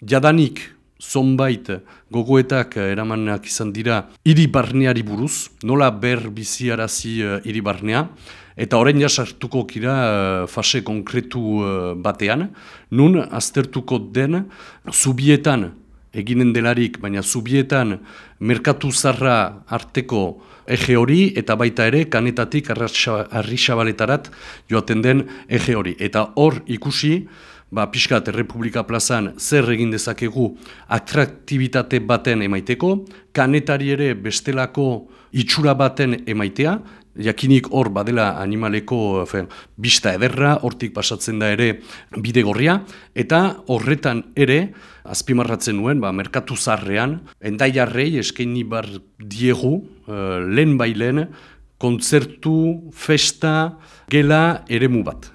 Jadanik zonbait gogoetak eramanak izan dira hiri barneari buruz, nola ber biziarazi hiri barnea, eta orain jasartuko kira fase konkretu batean, nun aztertuko den zubietan eginen delarik, baina zubietan merkatu zarra arteko ege hori, eta baita ere kanetatik Arrizzabaletarat joaten den ege hori. Eta hor ikusi, pixkat Errepublika plazan zer egin dezakegu atraktibitate baten emaiteko, kanetari ere bestelako itxura baten emaitea, jakinik hor badela animaleko bista ederra, hortik pasatzen da ere bidegorria, eta horretan ere, azpimarratzen nuen, merkatu zarrean, endaiarrei eskaini bar diegu, lehen bailen, kontzertu, festa, gela eremu bat.